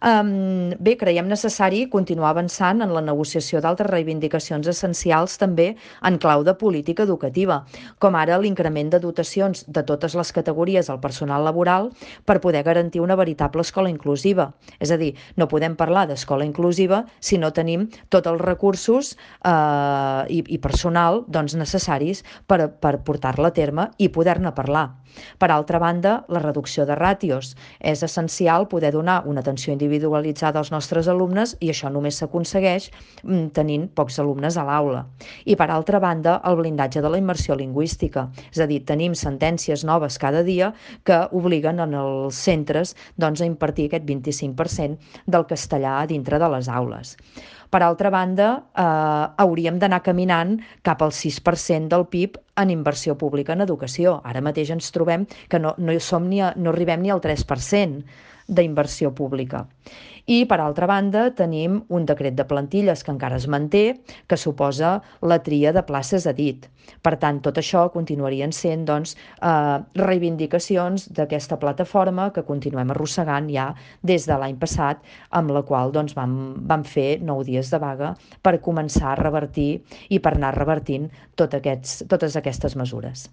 Bé, creiem necessari continuar avançant en la negociació d'altres reivindicacions essencials també en clau de política educativa, com ara l'increment de dotacions de totes les categories al personal laboral per poder garantir una veritable escola inclusiva. És a dir, no podem parlar d'escola inclusiva si no tenim tots els recursos i personal doncs, necessaris per portar-la a terme i poder-ne parlar. Per altra banda, la reducció de ràtios. És essencial poder donar una atenció individualitzada als nostres alumnes i això només s'aconsegueix tenint pocs alumnes a l'aula. I per altra banda, el blindatge de la immersió lingüística. És a dir, tenim sentències noves cada dia que obliguen en els centres doncs, a impartir aquest 25% del castellà dintre de les aules. Per altra banda, hauríem d'anar caminant cap al 6% del PIB en inversió pública en educació. Ara mateix ens trobem que no arribem ni al 3% d'inversió pública. I, per altra banda, tenim un decret de plantilles que encara es manté, que suposa la tria de places a dit. Per tant, tot això continuarien sent doncs, reivindicacions d'aquesta plataforma que continuem arrossegant ja des de l'any passat, amb la qual doncs, vam fer 9 dies de vaga per començar a revertir i per anar revertint totes aquestes mesures.